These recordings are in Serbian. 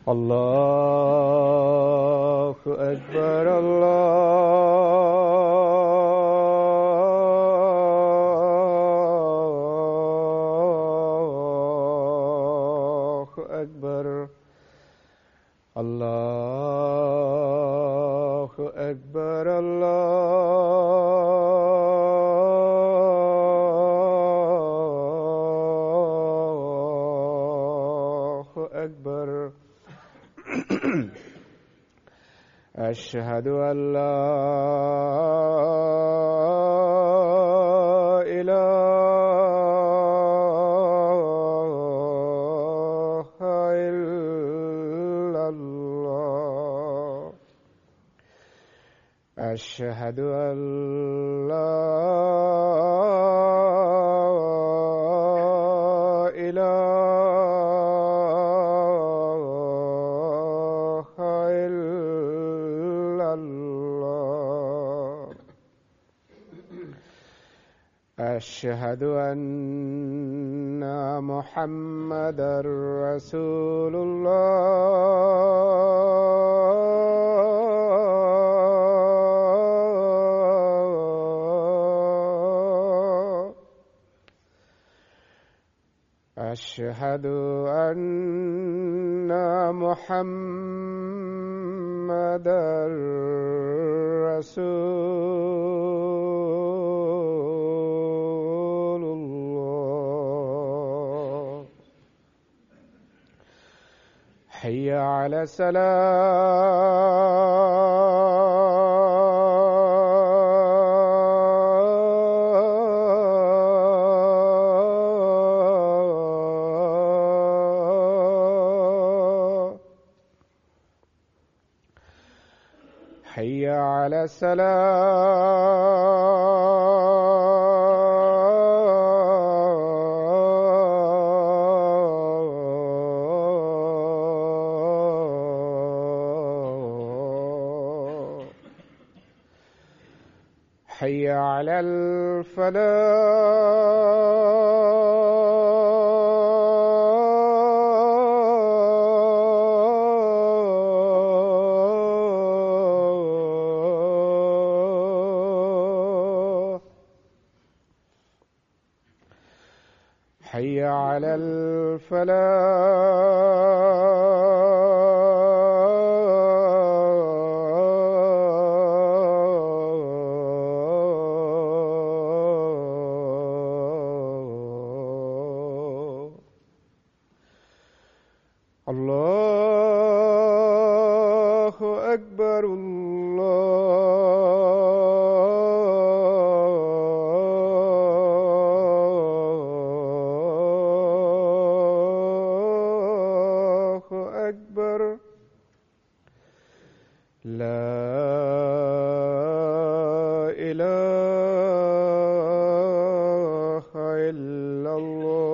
الله أكبر الله أكبر الله أكبر الله أكبر أشهد أن لا إله إلا الله أشهد أن لا إله إلا الله أشهد أن محمدًا رسول الله أشهد أن محمدًا رسول الله حي على الصلاة حي على الصلاة حي على الفلاح حي على الفلاح الله أكبر الله أكبر لا إله إلا الله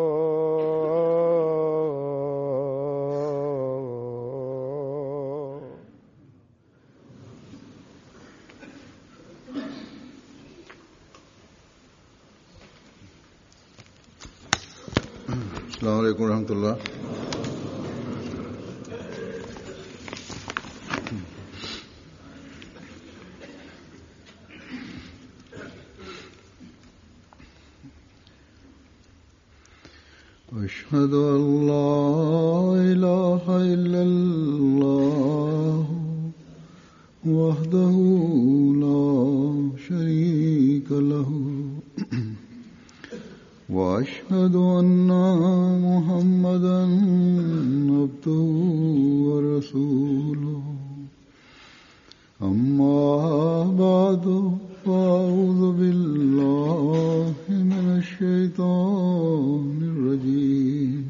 السلام علیکم ورحمۃ اللہ. أشهد أن لا إله إلا الله وحده لا شريك له وأشهد أن محمدًا عبده ورسوله أما بعد فأعوذ بالله من الشيطان الرجيم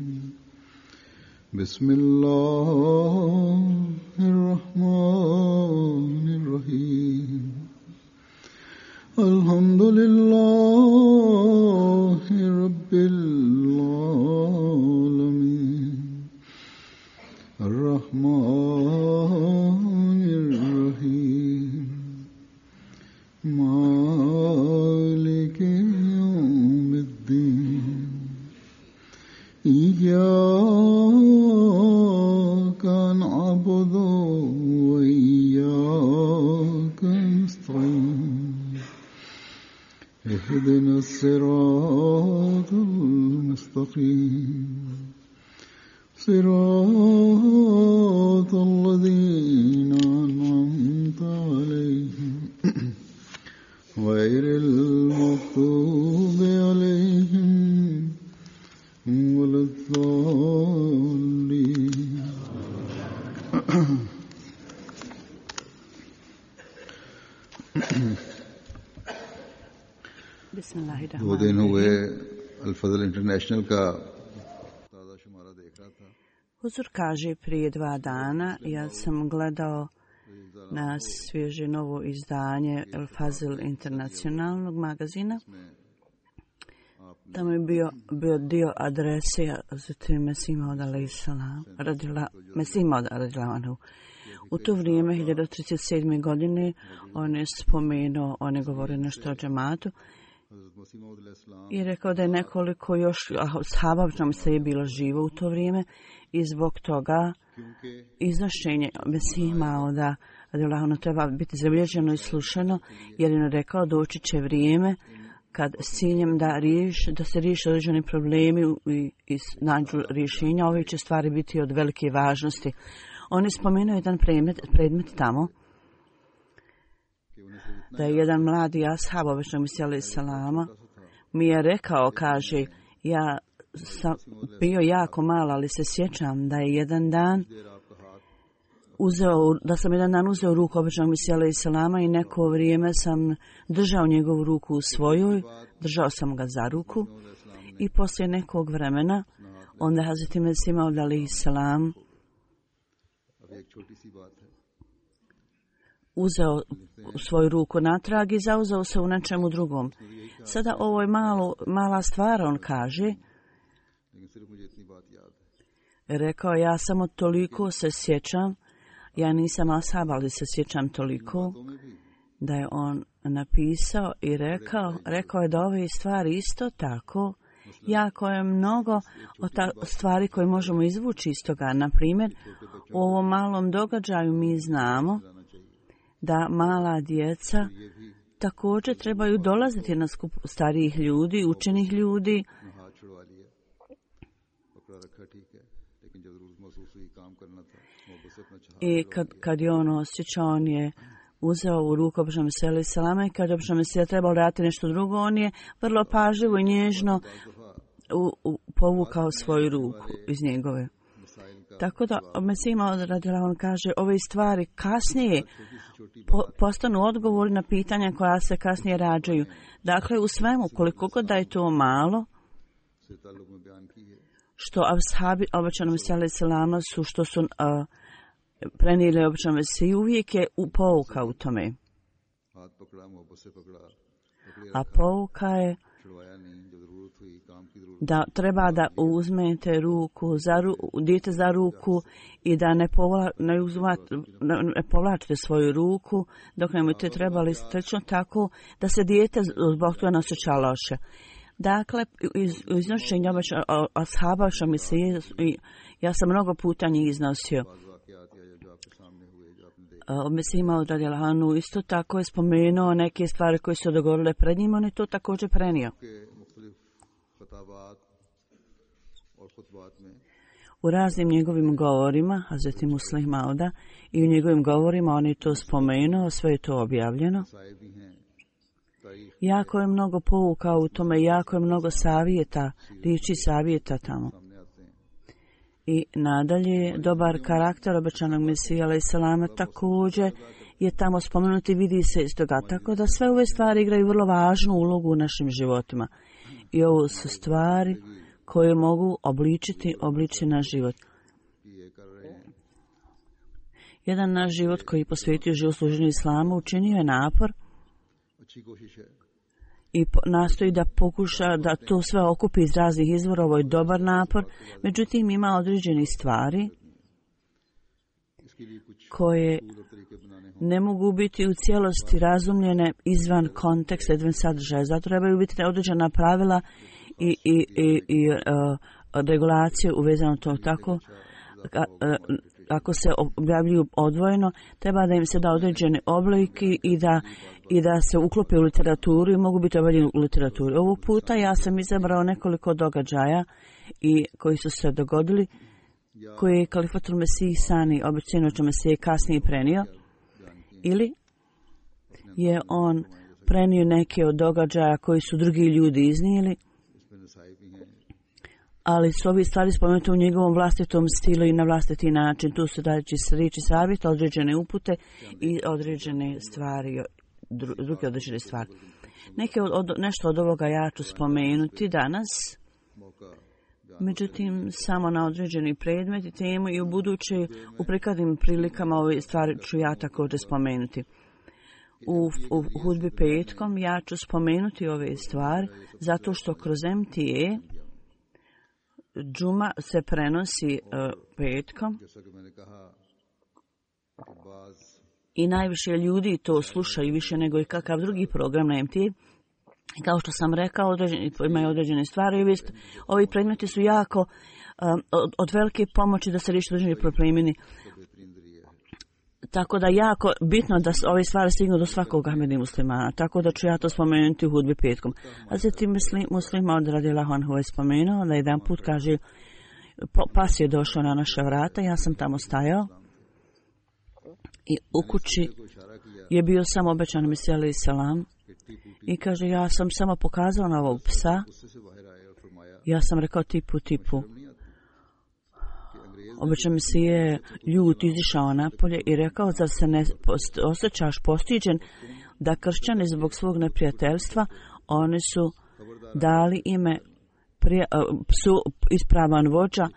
بسم الله الرحمن الرحيم الحمد لله رب العالمين الرحمن الرحيم مالك يوم الدين إياك نعبد صراط الذين أنعمت عليهم غير المغضوب عليهم ولا الضالين. दो दिन हुए अल-फज़ल इंटरनेशनल का ताज़ा शुमारा देख रहा था. Huzur kaže, prije 2 dana ja sam gledao na svježe novo izdanje Al-Fazl internacionalnog magazina. Tamo je bio dio adrese Hazreti Mesih Maud alejhi. U to vrijeme, 1937. godine, on je spomenuo, on je govorio nešto o džematu i rekao da je nekoliko još ashaba se je bilo živo u to vrijeme i zbog toga iznošenje Mesih Mauda treba biti zabilježeno i slušano, jer je rekao doći će vrijeme kad s ciljem da se riješe određeni problemi i nađu rješenja, ove će stvari biti od velike važnosti. On je spomenuo jedan predmet tamo, da je jedan mladi ashab običnog Mesija alejhi selama mi je rekao, kaže, ja sam bio jako mal, ali se sjećam da je jedan dan uzeo ruku običnog Mesija alejhi selama i neko vrijeme sam držao njegovu ruku u svojoj, držao sam ga za ruku i poslije nekog vremena onda Hazreti Mesih Maud alejhi selam uzeo svoju ruku natrag i zauzeo se u nečemu drugom. Sada ovo je mala stvar, on kaže. Rekao, ja samo toliko se sjećam, ja nisam ashab, ali se sjećam toliko da je on napisao i rekao je da ove stvari isto tako, jako je mnogo stvari koje možemo izvući iz toga. Na primjer, u ovom malom događaju mi znamo da mala djeca također trebaju dolaziti na skup starijih ljudi, učenih ljudi. I kad je on osjećao, on je uzeo u ruku običnog Mesija alejhi selama i kad je običnog Mesija trebao raditi nešto drugo, on je vrlo pažljivo i nježno povukao svoju ruku iz njegove. Tako da Mesih Maud alejhi, on kaže, ove stvari kasnije postanu odgovori na pitanja koja se kasnije rađaju. Dakle, u svemu, koliko god da je to malo, što ashabi običnog Mesija alejhi selama su, što su prenijeli običnom Mesiju, uvijek je pouka u tome. A pouka je da treba da uzmete dijete za ruku i da ne povlačite svoju ruku dok ne budete trebali, slično tako da se dijete zbog toga ne osjeća loše. Dakle, iznošenja ashaba Mesije, ja sam mnogo puta njih iznosio. Mesih Maud alejhi isto tako je spomenuo neke stvari koje su dogovorile pred njim, on je to također prenio. U raznim njegovim govorima, Hazreti Muslih Mauda, i u njegovim govorima on je to spomenuo, sve je to objavljeno. Jako je mnogo pouka u tome, jako je mnogo savjeta, riječi savjeta tamo. I nadalje, dobar karakter obećanog Mesija alejhi selama također je tamo spomenuti, vidi se iz toga. Tako da sve ove stvari igraju vrlo važnu ulogu u našim životima. I ovo su stvari koje mogu obličiti naš život. Jedan naš život koji je posvetio život služenju islamu učinio je napor i nastoji da pokuša da to sve okupi iz raznih izvora. Ovo je dobar napor, međutim ima određeni stvari koje ne mogu biti u cijelosti razumljene izvan konteksta, izvan sadržaja. Zato trebaju biti određena pravila i regulacije uvezano to tako. Ako se objavljuju odvojeno, treba da im se da određene oblike i da se uklope u literaturu i mogu biti objavljeni u literaturi. Ovog puta ja sam izabrao nekoliko događaja koji su se dogodili koje je Kalifatul Mesih Sani obećanoća Mesije kasnije prenio, ili je on prenio neke od događaja koji su drugi ljudi iznijeli, ali su ovi stvari spomenute u njegovom vlastitom stilu i na vlastiti način. Tu su dajući riječi savjeta, određene upute i određene stvari, druge određene stvari. Nešto od ovoga ja ću spomenuti danas, međutim samo na određeni predmet i temu, i u buduće u prekadnim prilikama ove stvari ću ja također spomenuti. U hudbi petkom ja ću spomenuti ove stvari zato što kroz MTA džuma se prenosi petkom i najviše ljudi to slušaju više nego i kakav drugi program na MTA. Kao što sam rekao, imaju određene stvari. Ovi predmeti su jako od velike pomoći da se riješi određeni problemi. Tako da jako bitno da ove stvari stignu do svakog Ahmedi muslimana. Tako da ću ja to spomenuti u hudbi petkom. A zatim muslima od radijallahu anhu je spomenuo da jedan put kaže pas je došao na naša vrata, ja sam tamo stajao i u kući je bio samo obećan Mesija alejhi selam i kaže ja sam samo pokazao na ovog psa. Ja sam rekao tipu. Obećan Mesija je ljut izišao napolje i rekao, zar se ne osjećaš postiđen da kršćani zbog svog neprijateljstva, oni su dali ime psu ispravan vođa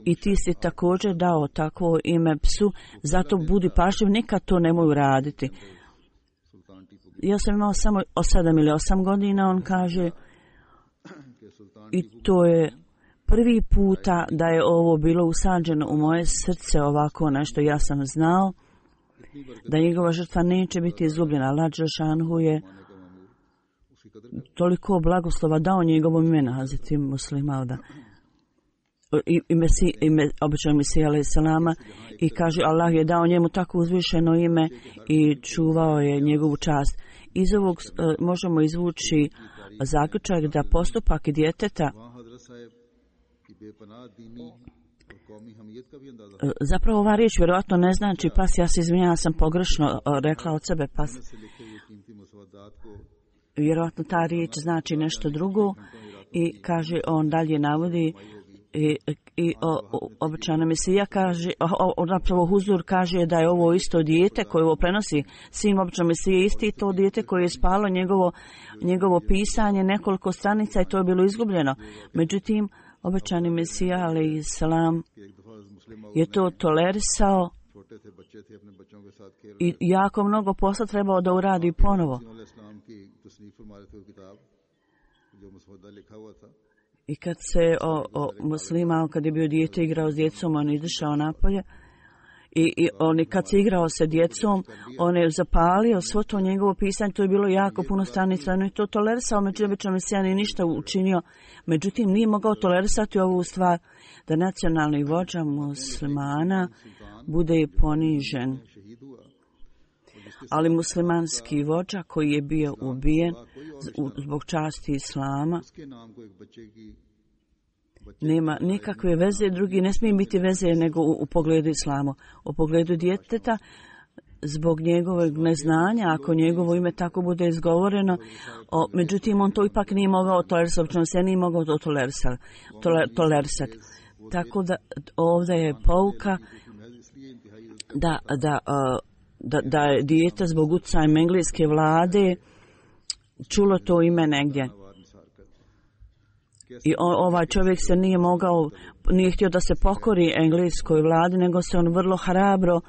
i ti si također dao takvo ime psu, zato budi pažljiv, nikad to nemoj raditi. Ja sam imao samo 7 ili 8 godina, on kaže, i to je prvi puta da je ovo bilo usađeno u moje srce ovako nešto. Ja sam znao da njegova žrtva neće biti izgubljena. Allah dželešanu je toliko blagoslova dao njegovom imenu Hazreti Muslimauda obećanog Mesija alejhi selama i kaže Allah je dao njemu tako uzvišeno ime i čuvao je njegovu čast. Iz ovog možemo izvući zaključak da postupak djeteta zapravo ova riječ vjerojatno ne znači pas, ja se izvinjavam, ja sam pogrešno rekla od sebe pas. Vjerojatno ta riječ znači nešto drugo i kaže, on dalje navodi i obećana Mesija kaže, zapravo Huzur kaže da je ovo isto dijete koje ovo prenosi sin obećanog Mesije, isti to dijete koje je spalo njegovo pisanje nekoliko stranica i to je bilo izgubljeno. Međutim, obećani Mesija alejhi selam je to tolerisao i jako mnogo posla trebao da uradi ponovo. I kad se muslima, kad je bio dijete igrao s djecom, on izašao napolje i on kad se igrao sa djecom, on je zapalio svo to njegovo pisanje, to je bilo jako puno stranica, on je to tolerisao, međutim obećani Mesija nije ništa učinio, međutim nije mogao tolerisati ovu stvar da nacionalni vođa muslimana bude ponižen. Ali muslimanski vođa koji je bio ubijen zbog časti islama nema nikakve veze, drugi ne smije biti veze nego u pogledu islama. U pogledu djeteta, zbog njegovog neznanja, ako njegovo ime tako bude izgovoreno, međutim on to ipak nije mogao tolerisati, on se nije mogao to tolerisati. Tako da ovdje je pouka da je dijete zbog utjecaja engleske vlade čulo to ime negdje. I ovaj čovjek se nije htio da se pokori engleskoj vladi, nego se on vrlo hrabro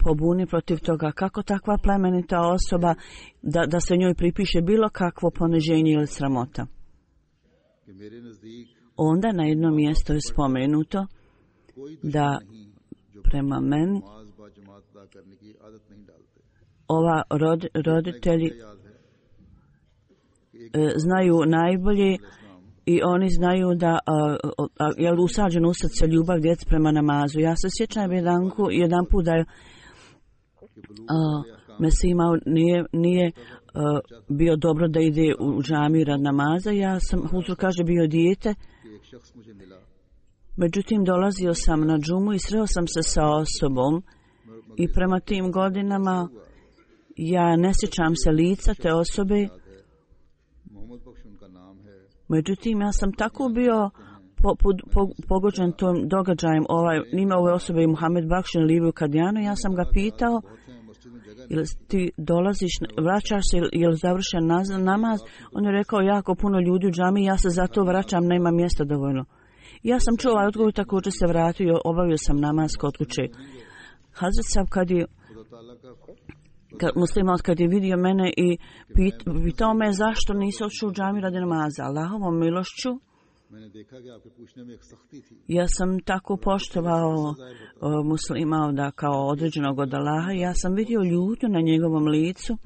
pobuni protiv toga. Kako takva plemenita osoba da se njoj pripiše bilo kakvo poniženje ili sramota. Onda na jednom mjestu je spomenuto da prema meni ova roditelji znaju najbolje i oni znaju da je usađeno u srce ljubav djece prema namazu. Ja se sjećam jedan put da je Mesija nije bio dobro da ide u džamiju rad namaza. Ja sam, Huzur kaže, bio dijete Međutim, dolazio sam na džumu i sreo sam se sa osobom i prema tim godinama ja ne sjećam se lica te osobe. Međutim, ja sam tako bio pogođen tom događajem. Ime ove osobe je Muhammed Bakš ili Liviju Kadijanu. Ja sam ga pitao, ili ti dolaziš, vraćaš se ili završen namaz? On je rekao, jako puno ljudi u džami, ja se zato vraćam, nema mjesta dovoljno. Ja sam čuo ovaj odgovor, također se vratio i obavio sam namaz kod kuće. Hazret Sahab kad je vidio mene i pitao me zašto nisi otišao u džamiju radi namaza. Allahovom milošću ja sam tako poštovao muslima da kao određenog od Allaha. Ja sam vidio ljutnju na njegovom licu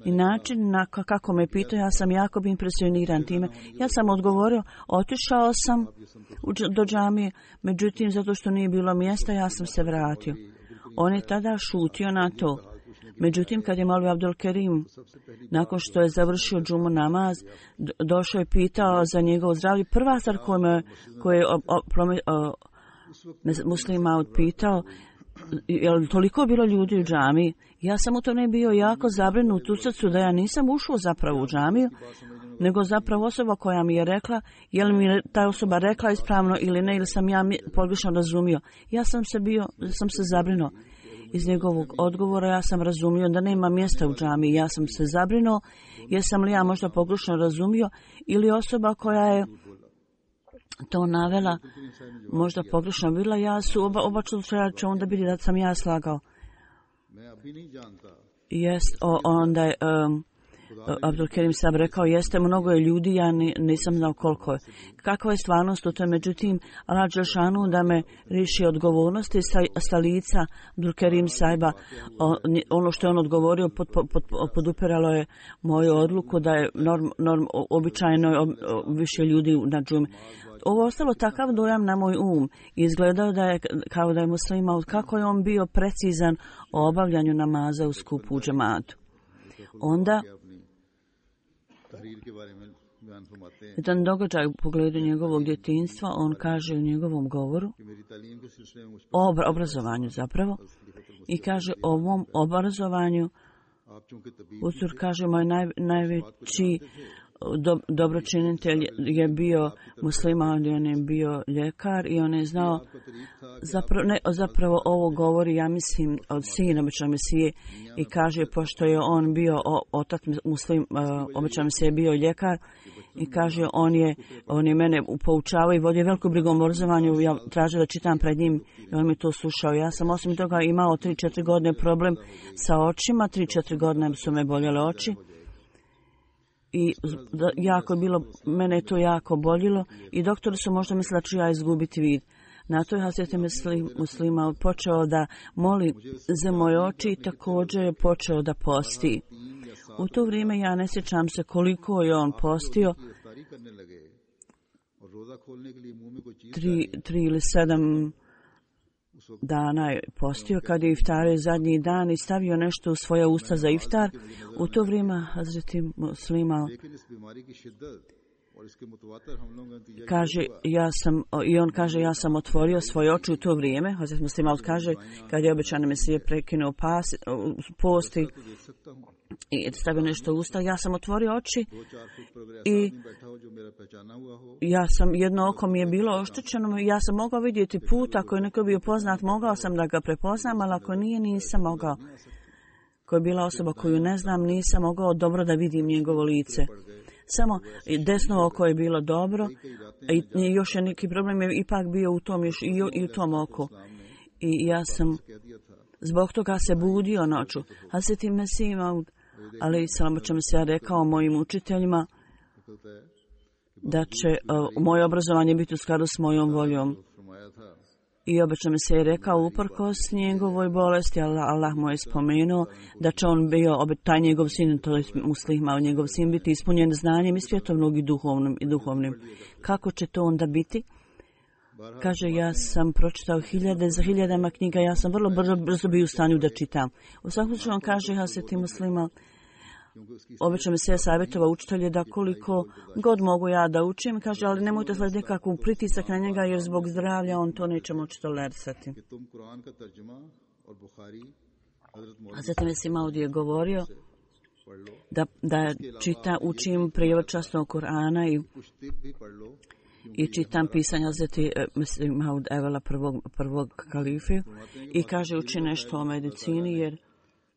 i način kako me pitao, ja sam jako bi impresioniran time. Ja sam odgovorio, otišao sam do džamije, međutim zato što nije bilo mjesta ja sam se vratio. On je tada šutio na to. Međutim, kad je Maulvi Abdul Kerim, nakon što je završio džumu namaz, došao i pitao za njegovo zdravlje. Prva stvar koju je muslima odpitao, je li toliko bilo ljudi u džamiji? Ja sam u tome bio jako zabrinut u srcu da ja nisam ušao zapravo u džamiju, nego zapravo osoba koja mi je rekla, je li mi ta osoba rekla ispravno ili ne, ili sam ja pogrešno razumio. Ja sam se zabrinuo. Iz njegovog odgovora ja sam razumio da nema mjesta u džamiji. Ja sam se zabrinuo, jesam li ja možda pogrešno razumio ili osoba koja je to navela možda pogrešno bila. Ja su oba slučaja će onda biti da sam ja slagao. Onda je Abdul Kerim Sahab rekao, jeste, mnogo je ljudi, ja nisam znao koliko je. Kakva je stvarnost u tome? Međutim, Allah Đelšanu da me riši odgovornosti sa lica Abdul Kerim Sahaba. Ono što je on odgovorio podupiralo je moju odluku da je običajno više ljudi na džumi. Ovo ostalo takav dojam na moj Izgledao da je kao da je muslima, kako je on bio precizan o obavljanju namaza u skupu u džematu. Onda jedan događaj u pogledu njegovog djetinjstva, on kaže u njegovom govoru o obrazovanju zapravo i kaže o ovom obrazovanju Usur kaže moj najveći dobročinitelj je bio musliman, on je bio ljekar i on je znao zapravo ovo govori, ja mislim, od sina običajnog Mesije i kaže, pošto je on bio otac muslim, običajnog Mesije bio ljekar i kaže, on je mene poučavao i vodio veliku brigu o obrazovanju, ja tražio da čitam pred njim i on mi to slušao. Ja sam osim toga imao 3-4 godine problem sa očima, 3-4 godine su me boljele oči. I jako je bilo, mene je to jako boljilo i doktori su možda mislili da ću ja izgubiti vid. Na to je Hazreti Muslima počeo da moli za moje oči i također je počeo da posti. U to vrijeme ja ne sjećam se koliko je on postio, 3 ili 7 dana je postio. Kad je iftario zadnji dan i stavio nešto u svoje usta za iftar, u to vrijeme Hazreti Muslima kaže, ja sam otvorio svoje oči u to vrijeme. Hazreti Muslima kaže, kad je običajno Mesije prekinuo posti i stavio nešto u usta, ja sam otvorio oči i jedno oko mi je bilo oštećeno, ja sam mogao vidjeti put, ako je neko bio poznat, mogao sam da ga prepoznam, ali ako nije, nisam mogao. Ko je bila osoba koju ne znam, nisam mogao dobro da vidim njegovo lice. Samo desno oko je bilo dobro i još je neki problem je ipak bio u tom, i u tom oku. I ja sam zbog toga se budio noću. Hazreti Mesih Maud, ali Salam će mi se rekao mojim učiteljima da će moje obrazovanje biti u skladu s mojom voljom. I obično mi se je rekao uprkos njegovoj bolesti, Allah mu je spomenuo da će on bio, taj njegov sin, to je muslima, njegov sin biti ispunjen znanjem i svjetovnog i duhovnim. Kako će to onda biti? Kaže, ja sam pročitao hiljadama knjiga, ja sam vrlo brzo bio u stanju da čitam. U svakom slučaju on kaže, Hazreti Muslima, obično mi se savjetova učitelje da koliko god mogu ja da učim, kaže, ali nemojte slediti nekakvu pritisak na njega jer zbog zdravlja on to neće moći tolerisati. Hazrat Mesih Maud je govorio da učim prijevod časnog Kur'ana i čitam pisanja Hazreti Mesih Maud Evela prvog kalife i kaže uči nešto o medicini jer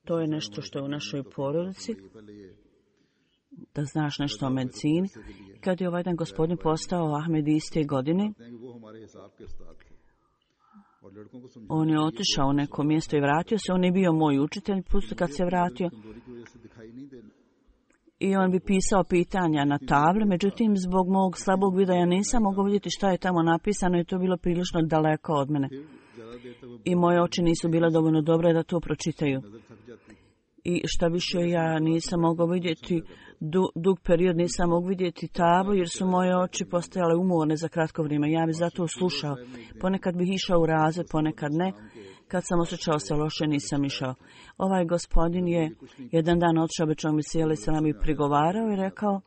to je nešto što je u našoj porodici, da znaš nešto o medicini. Kad je ovaj dan gospodin postao Ahmed iste godine, on je otišao u neko mjesto i vratio se. On je bio moj učitelj, pusto kad se vratio. I on bi pisao pitanja na tabli, međutim, zbog mog slabog vida ja nisam mogao vidjeti šta je tamo napisano i to je bilo prilično daleko od mene. I moje oči nisu bile dovoljno dobre da to pročitaju. I šta više, ja nisam mogao vidjeti, dug period nisam mogao vidjeti tablu jer su moje oči postajale umorne za kratko vrijeme. Ja bih zato slušao. Ponekad bih išao u razred, ponekad ne. Kad sam osjećao se loše, nisam išao. Ovaj gospodin je jedan dan otišao običnog Mesija alejhi selam i prigovarao i rekao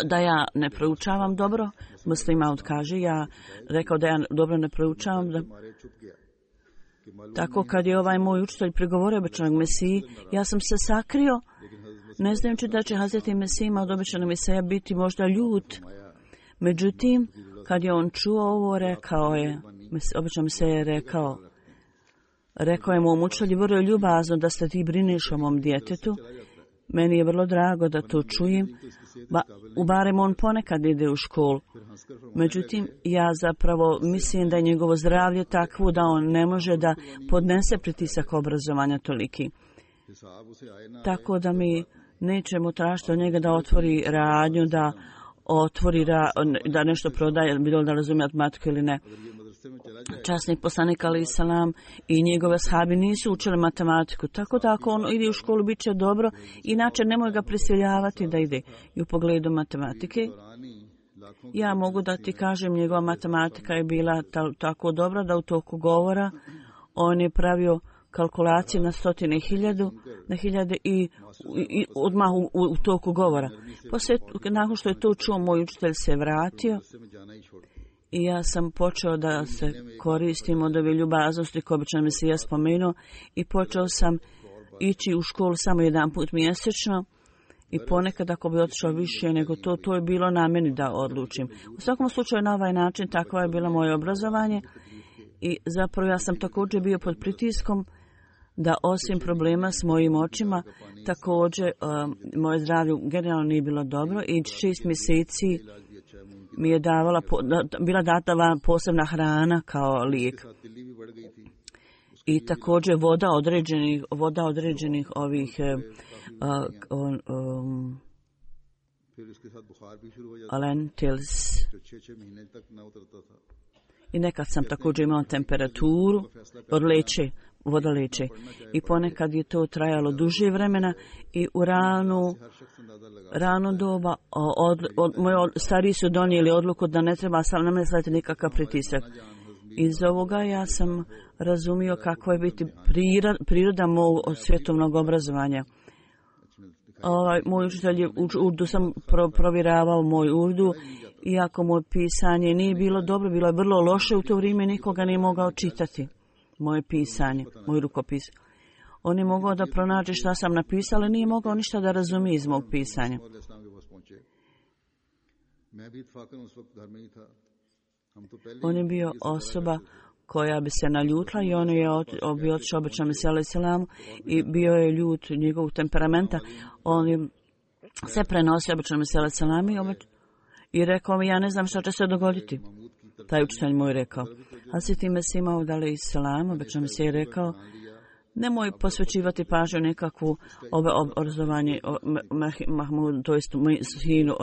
da ja ne proučavam dobro. Muslim Maud kaže, rekao da ja dobro ne proučavam. Tako kad je ovaj moj učitelj prigovorio običnog Mesiji, ja sam se sakrio, ne znajući da će Hazreti Mesih Maud običnog Mesija biti možda ljut. Međutim, kad je on čuo ovo, rekao je, obično Mesija je rekao je mom učitelju vrlo ljubazno da se ti brineš o mom djetetu. Meni je vrlo drago da to čujem. Barem on ponekad ide u školu. Međutim, ja zapravo mislim da je njegovo zdravlje takvo da on ne može da podnese pritisak obrazovanja toliki. Tako da mi nećemo tražiti od njega da otvori radnju, da nešto prodaje, bilo da razumije matematiku ili ne. Časni poslanik alejhi selam i njegove ashabi nisu učili matematiku, tako da ako on ide u školu bit će dobro, inače nemoj ga prisiljavati da ide. I u pogledu matematike, ja mogu da ti kažem, njegova matematika je bila tako dobra da u toku govora on je pravio kalkulacije na stotine hiljade i odmah u toku govora. Poslije, nakon što je to čuo, moj učitelj se vratio i ja sam počeo da se koristim od ove ljubaznosti koje obično Mesija spomenuo i počeo sam ići u školu samo jedan put mjesečno i ponekad ako bi otišao više nego to je bilo na meni da odlučim. U svakom slučaju na ovaj način takvo je bilo moje obrazovanje i zapravo ja sam također bio pod pritiskom da osim problema s mojim očima, također moje zdravlje generalno nije bilo dobro i 6 mjeseci mi je bila data posebna hrana kao lijek. I također voda određenih ovih lentils. I nekad sam također imala temperaturu voda leče. I ponekad je to trajalo duže vremena i u rano doba moji stariji su donijeli odluku da ne treba sam namjeslati nikakav pritisak. Iz ovoga ja sam razumio kako je biti priroda mog svjetovnog obrazovanja. Moj učitelj je urdu sam provjeravao moj urdu, iako moje pisanje nije bilo dobro, bilo je vrlo loše u to vrijeme, nikoga nije mogao čitati moje pisanje, moj rukopis. On je mogao da pronađe šta sam napisala, ali nije mogao ništa da razumije iz mog pisanja. On je bio osoba koja bi se naljutila i on je bio otišao obično Mesiju alejhi selam i bio je ljut njegovog temperamenta. On je se prenosio obično Mesiju alejhi selam i rekao mi, ja ne znam šta će se dogoditi. Taj učitelj moj rekao. Hazreti Mesih Maud alejhi selam, obično mi se je rekao, nemoj posvećivati pažnju nekakvu obrazovanje Mahmud, to jest sinu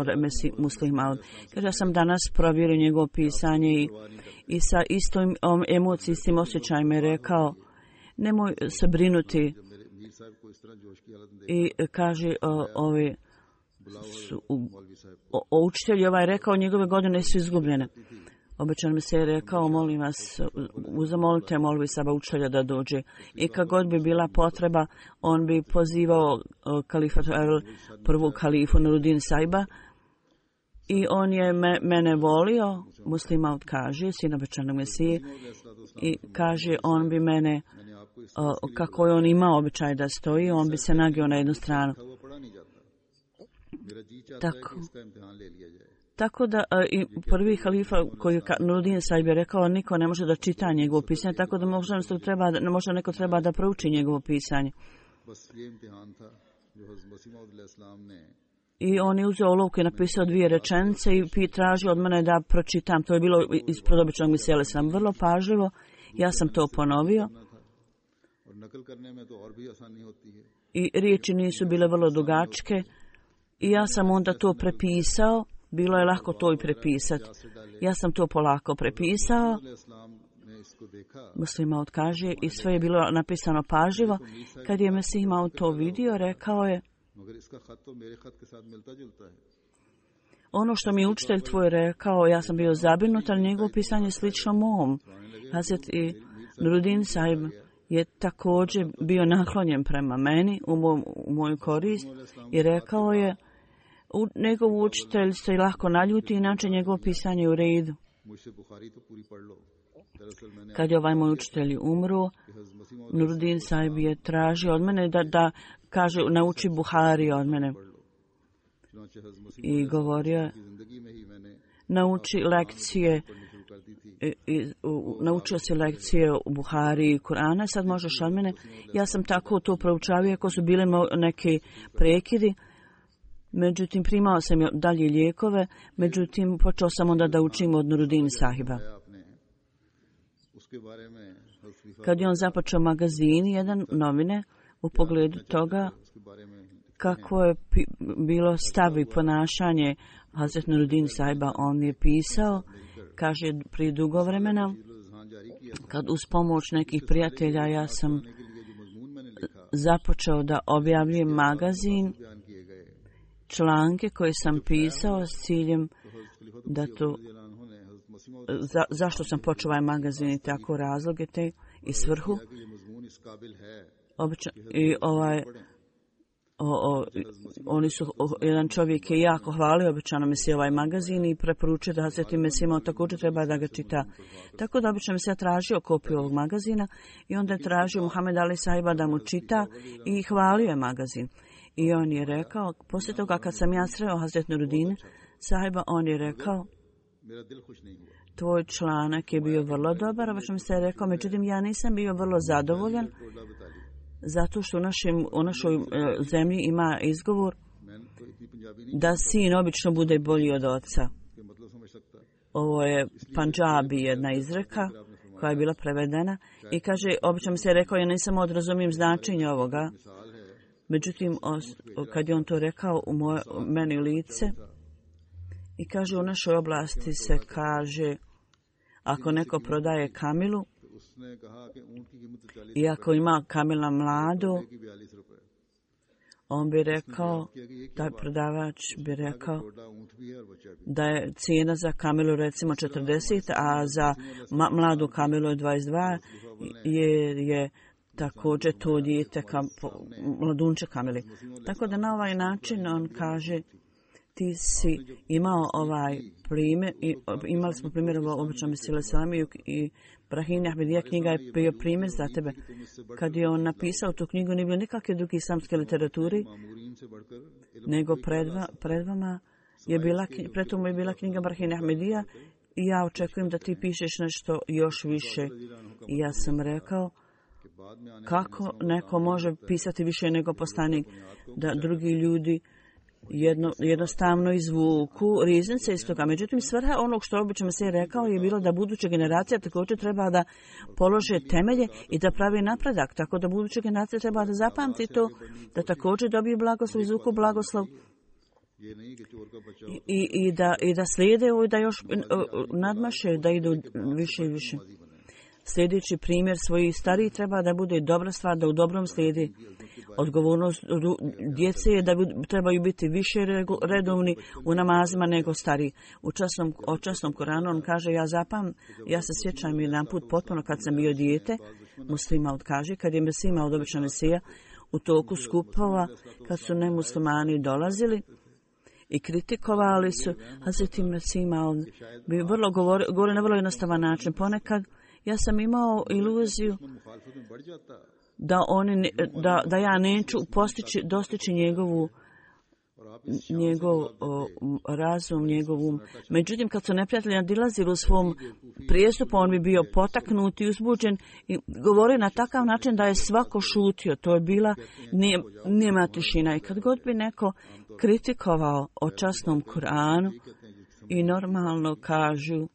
Muslim Maud. Kaže, ja sam danas provjerio njegovo pisanje i sa istom emocijom, istim osjećajima je rekao, nemoj se brinuti. I kaže, učitelj ovaj rekao, njegove godine su izgubljene. Obećan mi se je rekao, molim vas, zamolite molvi Saba učitelja da dođe. I kad god bi bila potreba, on bi pozivao kalifat prvog kalifu Nuruddin Saiba i on je mene volio, Muslima kaže, sin obećanog Mesije, i kaže on bi mene, kako je on imao običaj da stoji, on bi se nagio na jednu stranu. Tako da i prvi halifa koji Nuruddin Saib je rekao, niko ne može da čita njegovo pisanje, tako da možda neko treba da prouči njegovo pisanje. I on je uzeo olovku i napisao 2 rečenice i tražio od mene da pročitam. To je bilo ispred običnog Mesije sam vrlo pažljivo. Ja sam to ponovio. I riječi nisu bile vrlo dugačke. I ja sam onda to prepisao. Bilo je lako to i prepisati. Ja sam to polako prepisao. Muslima kaže i sve je bilo napisano pažljivo. Kad je Mesih imao to vidio, rekao je, ono što mi je učitelj tvoj rekao, ja sam bio zabrinut, ali njegovo pisanje je slično mom. Hazret i Nuruddin Saib je također bio naklonjen prema meni u moju korist i rekao je, njegov učitelj se lako naljuti, inače njegovo pisanje je u redu. Kad je ovaj moj učitelj umro, Nuruddin Saib je tražio od mene da kaže, nauči Buhari od mene. I govorio, nauči lekcije, naučio si lekcije u Buhari i Kur'ana, sad možeš od mene. Ja sam tako to proučavio, ako su bile neke prekidi. Međutim, primao sam dalje lijekove, međutim, počeo sam onda da učim od Nuruddin Sahiba. Kad je on započeo magazin, jedan novine, u pogledu toga kako je bilo stav i ponašanje Hazret Nuruddin Sahiba, on je pisao, kaže, prije dugo vremena, kad uz pomoć nekih prijatelja ja sam započeo da objavljujem magazin, članke koje sam pisao s ciljem da to, zašto sam počeo ovaj magazin i tako razloge te i svrhu. I oni su, jedan čovjek je jako hvalio običano Mesija ovaj magazin i preporučio da Hazreti Mesija imao također treba da ga čita. Tako da obično Mesija tražio kopiju ovog magazina i onda je tražio Muhammed Ali Sahiba da mu čita i hvalio je magazin. I on je rekao, poslije toga kad sam ja sreo Hazret Nuruddin Sahiba, on je rekao, tvoj članak je bio vrlo dobar, a mi se je rekao, međutim ja nisam bio vrlo zadovoljan, zato što u našoj zemlji ima izgovor da sin obično bude bolji od oca. Ovo je Pandžabi, jedna izreka koja je bila prevedena i kaže, obično mi se je rekao, ja nisam odrazumijem značenje ovoga. Međutim, kad je on to rekao u meni lice i kaže, u našoj oblasti se kaže, ako neko prodaje kamilu i ako ima kamila mladu, on bi rekao, taj prodavač bi rekao da je cijena za kamilu recimo 40, a za mladu kamilu je 22, jer je također to dijete mladunče kamili. Tako da na ovaj način on kaže, ti si imao ovaj primjer, imali smo primjer u običnom Islami i Brahim Ahmedija knjiga je bio primjer za tebe. Kad je on napisao tu knjigu, nije bilo nikakve druge islamske literaturi, nego pred vama je bila, pred tomu je bila knjiga Brahim Ahmedija i ja očekujem da ti pišeš nešto još više. I ja sam rekao, kako neko može pisati više nego poslanik, da drugi ljudi jednostavno izvuku riznice iz toga. Međutim, svrha onog što obično se je rekao je bilo da buduća generacija također treba da polože temelje i da pravi napredak. Tako da buduća generacija treba da zapamti to, da također dobije blagoslov, izvuku blagoslov i da slijede ovo i da još nadmaše, da idu više i više. sljedeći primjer svojih starijih treba da bude dobra stvar, da u dobrom slijedi. Odgovornost djece je da trebaju biti više redovni u namazima nego stariji. U časnom Koranu on kaže, ja se sjećam jedan put potpuno kad sam bio dijete, muslima kaže, kad je Mesija od obična Mesija u toku skupova, kad su nemuslimani dolazili i kritikovali su, Hazreti Mesija bi vrlo govori na vrlo jednostavan način. Ponekad ja sam imao iluziju da ja neću dostići njegov razum, njegov um. Međutim, kad su neprijatelji nadilazili u svom prijestupu, on bi bio potaknut i uzbuđen i govori na takav način da je svako šutio. To je bila nema tišina. I kad god bi neko kritikovao o časnom Kuranu i normalno kažu,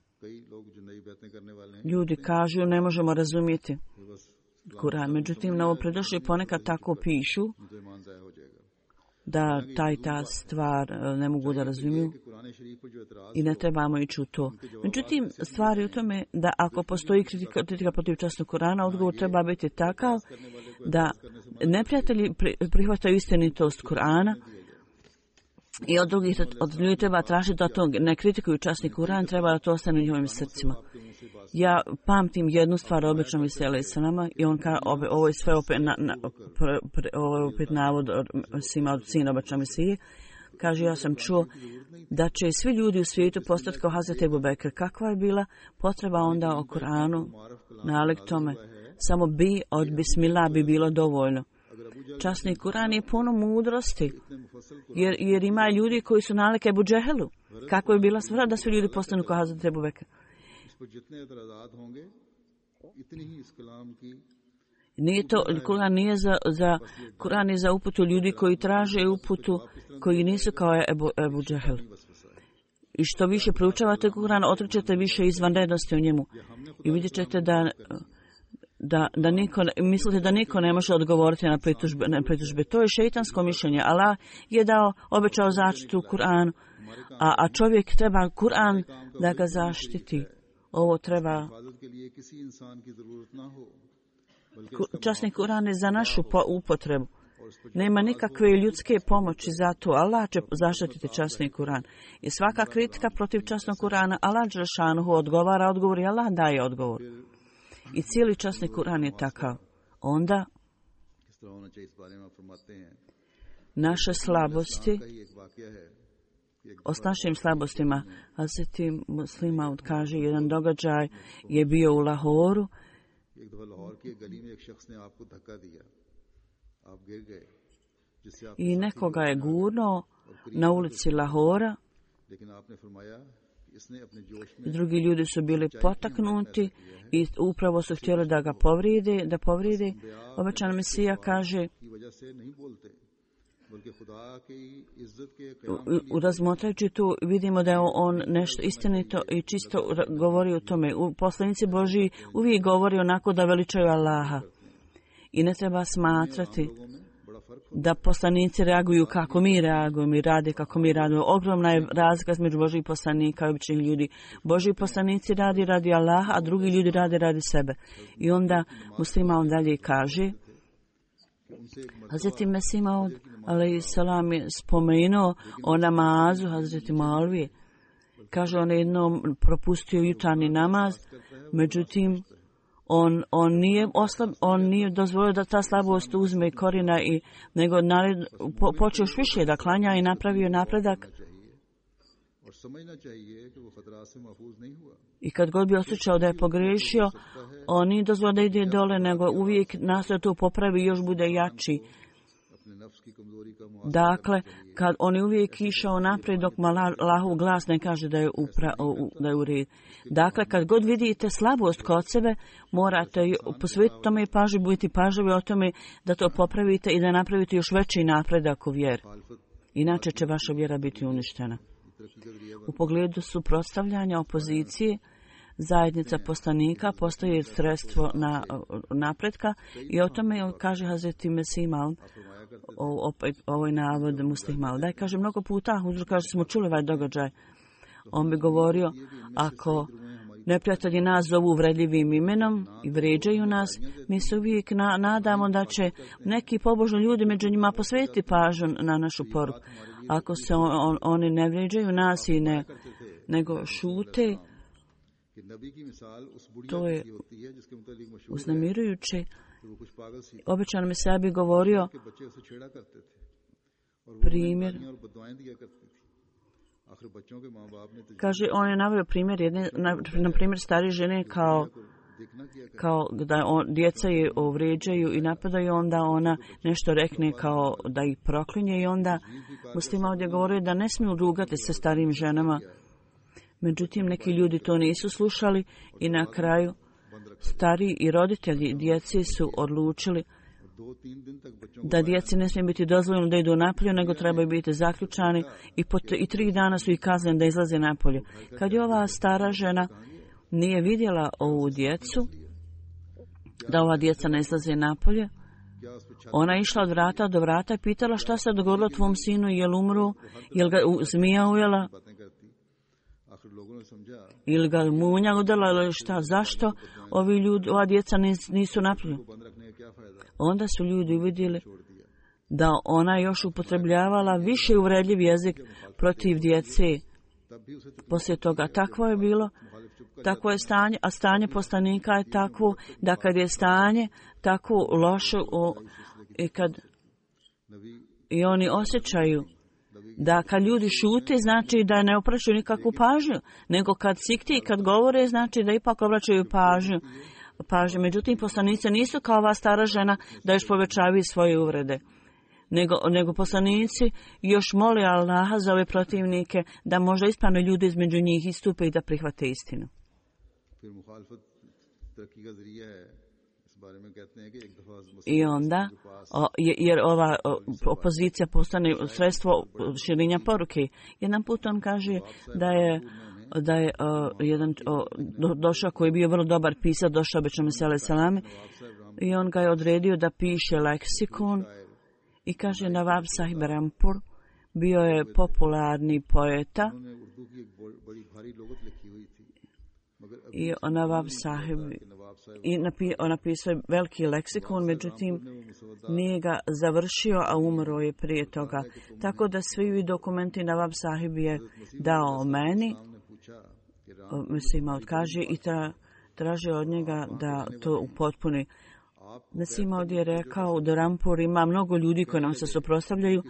ljudi kažu ne možemo razumjeti Kuran. Međutim, novopredošli ponekad tako pišu da ta stvar ne mogu da razumiju i ne trebamo ići u to. Međutim, stvar je u tome da ako postoji kritika protiv časnog Kurana, odgovor treba biti takav da neprijatelji prihvataju istinitost Kurana i od drugih od ljudi treba tražiti da to ne kritikuju časni Kuran, treba da to ostane u njihovim srcima. Ja pamtim jednu stvar obično misele sa nama i on kaže, ovo je sve opet navod od sina obična Mesije. Kaže, ja sam čuo da će svi ljudi u svijetu postati kao Hazreti Ebu Bekr. Kakva je bila potreba onda o Kuranu, nalik tome? Samo od bismillah bi bilo dovoljno. Časni Kuran je puno mudrosti, jer ima ljudi koji su nalik Ebu Džehelu. Kakva je bila stvar da svi ljudi postanu kao Hazreti Ebu Bekr? Nije to, Kuran je za uputu ljudi koji traže uputu, koji nisu kao Ebu Džehel. I što više proučavate Kuran, otkrićete više izvanrednosti u njemu. I vidjet ćete da mislite da niko ne može odgovoriti na pritužbe. To je šeitansko mišljenje. Allah je obećao zaštitu Kuranu, a čovjek treba Kuran da ga zaštiti. Ovo treba. Časni Kuran je za našu upotrebu. Nema nikakve ljudske pomoći za to. Allah će zaštititi časni Kuran. I svaka kritika protiv časnog Kurana, Allah dželešanuhu odgovara, odgovor i Allah daje odgovor. I cijeli časni Kuran je takav. Onda naše slabosti, s našim slabostima, Hazreti Muslima kaže, jedan događaj je bio u Lahoru i nekoga je gurnuo na ulici Lahora. Drugi ljudi su bili potaknuti i upravo su htjeli da ga povride. Obećana Mesija kaže, razmotrajući tu vidimo da je on nešto istinito i čisto govori o tome. Poslanici Božji uvijek govori onako da veličaju Allaha. I ne treba smatrati da poslanici reaguju kako mi reagujemo i rade kako mi radimo. Ogromna je razlika između Božjih poslanika i običnih ljudi. Božji poslanici radi Allaha, a drugi ljudi radi sebe. I onda muslima on dalje kaže, Hazreti Mesih Maud alejhiselam je spomenuo o namazu Hazreti Malvije. Kaže, on je jednom propustio jutarnji namaz, međutim on nije dozvolio da ta slabost uzme korina nego počeo još više da klanja i napravio napredak. I kad god bi osjećao da je pogriješio, on nije dozvolio da ide dole, nego uvijek nastoje to popravi i još bude jači. Dakle, kad on je uvijek išao naprijed dok Allahov glas ne kaže da je u redu. Dakle, kad god vidite slabost kod sebe, morate posvetiti tome i pažljivo, budite pažljivi o tome da to popravite i da napravite još veći napredak u vjeri. Inače će vaša vjera biti uništena. U pogledu suprotstavljanja opozicije, zajednica poslanika postoji sredstvo napretka i o tome kaže Hazreti Mesih Maud, ovaj navod Muslih Maud. Da, kaže mnogo puta, kaže smo čuli ovaj događaj. On bi govorio, ako neprijatelji nas zovu uvredljivim imenom i vrijeđaju nas, mi se uvijek nadamo da će neki pobožni ljudi među njima posvetiti pažnju na našu poruku. Ako se oni ne vrijeđaju nas i nego šute, to je uznemirujuće. Običan Mesija bi govorio primjer. Kaže, on je naveo primjer jedne, na primjer starije žene kao da djeca je vrijeđaju i napadaju, onda ona nešto rekne kao da ih proklinje i onda muslima ovdje govorio da ne smiju rugati se starijim ženama. Međutim, neki ljudi to nisu slušali i na kraju stariji i roditelji djeci su odlučili da djeci ne smije biti dozvoljeno da idu napolje, nego trebaju biti zaključani i 3 dana su ih kazneni da izlaze napolje. Kad je ova stara žena nije vidjela ovu djecu, da ova djeca ne izlaze napolje, ona je išla od vrata do vrata i pitala šta se dogodilo tvom sinu, je li umro, je li ga zmija ujela, ili ga munja udala, ili šta, zašto ova djeca nisu napolje. Onda su ljudi uvidjeli da ona još upotrebljavala više uvredljiv jezik protiv djece. Poslije toga takvo je bilo, takvo je stanje, a stanje poslanika je takvo da kad je stanje tako loše i oni osjećaju da kad ljudi šute, znači da ne obraćaju nikakvu pažnju, nego kad sikti i kad govore, znači da ipak obraćaju pažnju. Međutim, poslanice nisu kao ova stara žena da još povećavaju svoje uvrede, nego poslanici još moli Allaha za ove protivnike da možda ispravno ljudi između njih istupe i da prihvate istinu. I onda, jer ova opozicija postane sredstvo širenja poruke. Jedan put on kaže da je jedan došao koji je bio vrlo dobar pisac, došao obično Mesija salame i on ga je odredio da piše leksikon i kaže Nawab Sahib Rampur bio je popularni poeta i Nawab Sahib on napisao je veliki leksikon, međutim nije ga završio, a umro je prije toga. Tako da svi dokumenti Nawab Sahib je dao meni, Mesija kaže i traže od njega da to upotpuni. Mesija ovdje je rekao da Rampur ima mnogo ljudi koji nam se suprotstavljaju.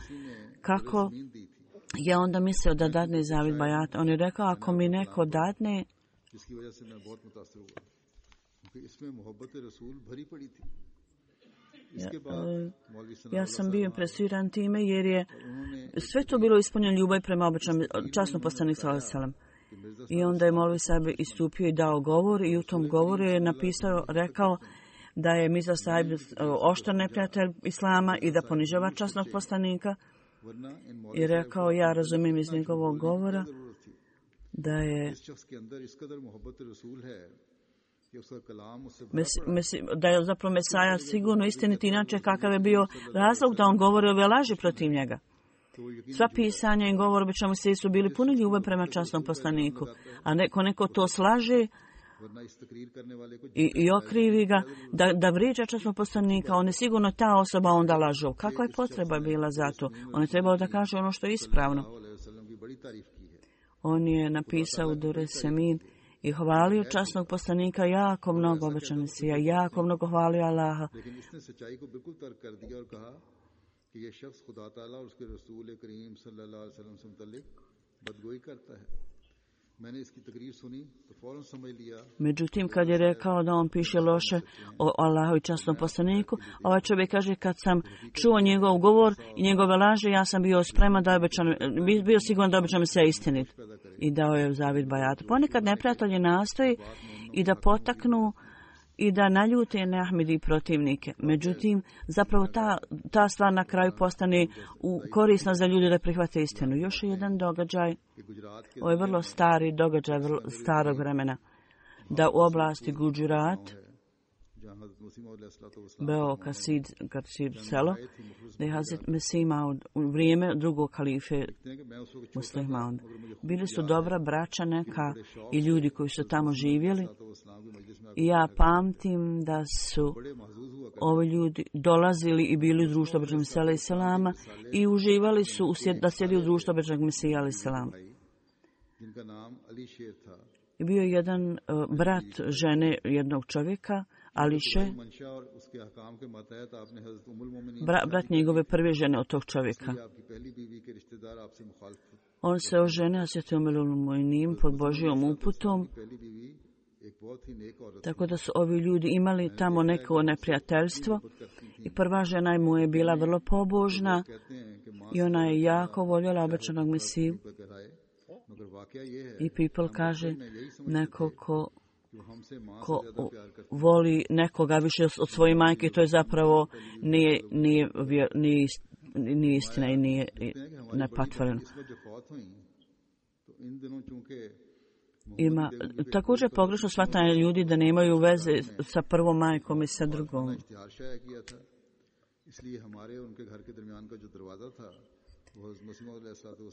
Kako je onda mislio da dadne zavid bajat? On je rekao, ako mi neko dadne, ja sam bio impresiran time jer je sve to bilo ispunjeno ljubav prema običnom časnom poslaniku sallallahu alejhi ve sellem. I onda je Molvi Sahib istupio i dao govor i u tom govoru je rekao da je Mirza Sahib oštar neprijatelj islama i da ponižava časnog poslanika. I rekao, ja razumijem iz njegovog govora da je zapravo Mesaja sigurno istiniti, inače kakav je bio razlog da on govori ove laži protiv njega. Sva pisanja i govor obično su bili puni ljubav prema časnom poslaniku, a neko to slaže i okrivi ga da vrijeđa časnog poslanika, on je sigurno ta osoba onda lažu. Kakva je potreba bila za to? On je trebao da kaže ono što je ispravno. On je napisao Dure Semin i hvalio časnog poslanika jako mnogo, običan Mesija, jako mnogo hvalio Allaha. Međutim, kad je rekao da on piše loše o Allahu i časnom poslaniku, ovaj čovjek kaže, kad sam čuo njegov govor i njegove laže, ja sam bio spreman da bio siguran da običan se istinit. I dao je zavid bajat. Ponekad neprijatelji nastoji i da potaknu i da naljute Neahmedi protivnike. Međutim, zapravo ta stvar na kraju postane korisna za ljude da prihvate istinu. Još je jedan događaj, ovo je vrlo stari događaj, vrlo starog vremena, da u oblasti Gujarat Beo Kasid selo, da je Hazret Mesih imao u vrijeme drugog kalife Muslih Maud. Bili su dobra braća neka i ljudi koji su tamo živjeli. I ja pamtim da su ovi ljudi dolazili i bili u društvu Obećanog Mesija alejhi selama i uživali su da sjedi u društvu Obećanog Mesija alejhi selama. I bio je jedan brat žene jednog čovjeka, Ališe, brat njegove prve žene od tog čovjeka. On se oženio Hazreti Umul Mu'minin pod Božjom uputom, tako da su ovi ljudi imali tamo neko neprijateljstvo i prva žena mu je bila vrlo pobožna i ona je jako voljela Obećanog Mesiju. I people kaže neko ko voli nekoga više od svoje majke, to je zapravo nije istina i nije nepatvoreno. Ima također pogrešno shvatanje ljudi da nemaju veze sa prvom majkom i sa drugom.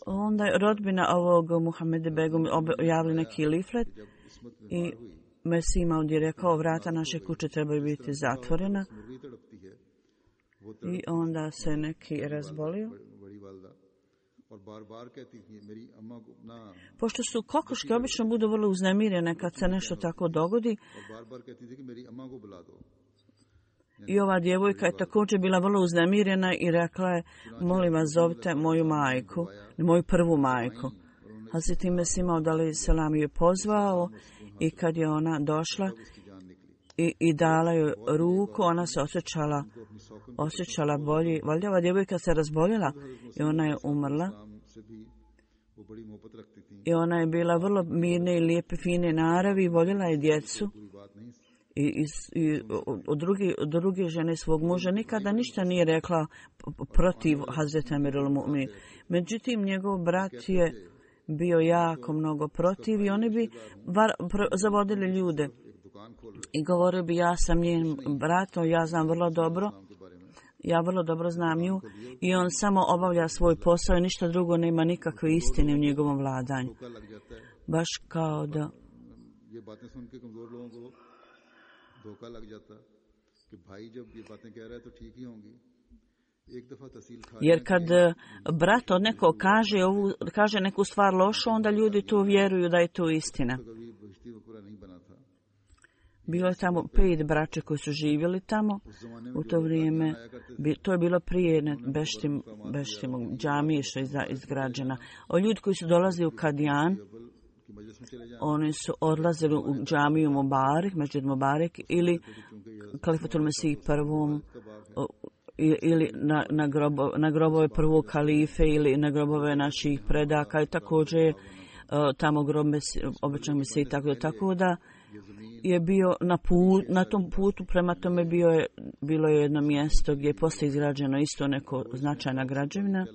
Onda je rodbina ovog Muhameda Begum objavili neki liflet i Mesih Maud je rekao vrata naše kuće trebaju biti zatvorena i onda se neki razbolio. Pošto su kokoške obično budu vrlo uznemirene kad se nešto tako dogodi, i ova djevojka je također bila vrlo uznemirena i rekla je, molim vas zovite moju majku, moju prvu majku. Hazreti Mesih Maud alejhi selam je pozvao i kad je ona došla i dala joj ruku, ona se osjećala bolje. Valjda ova djevojka se razboljela i ona je umrla. I ona je bila vrlo mirne i lijepe, fine naravi, voljela je djecu. I od druge žene svog muža nikada ništa nije rekla protiv Hazreti Amirul Mu'minin. Međutim, njegov brat je bio jako mnogo protiv i oni bi zavodili ljude. I govorio bi, ja sam njen brat, ja znam vrlo dobro, ja vrlo dobro znam nju i on samo obavlja svoj posao i ništa drugo, nema nikakve istine u njegovom vladanju. Baš kao da... Jer kad brat od nekog kaže neku stvar lošu, onda ljudi tu vjeruju da je to istina. Bilo je tamo 5 braće koji su živjeli tamo u to vrijeme. To je bilo prije Beštimog džamije što je izgrađena. O ljudi koji su dolazili u Kadijan, oni su odlazili u džamiju Mubarak, Mesdžid Mubarak ili Kalifatul Mesih prvom ili na grobove prvog kalife ili na grobove naših predaka i također tamo grob Obećanog Mesija, tako da je bio na tom putu, prema tome bilo je jedno mjesto gdje je poslije izgrađeno isto neko značajna građevina.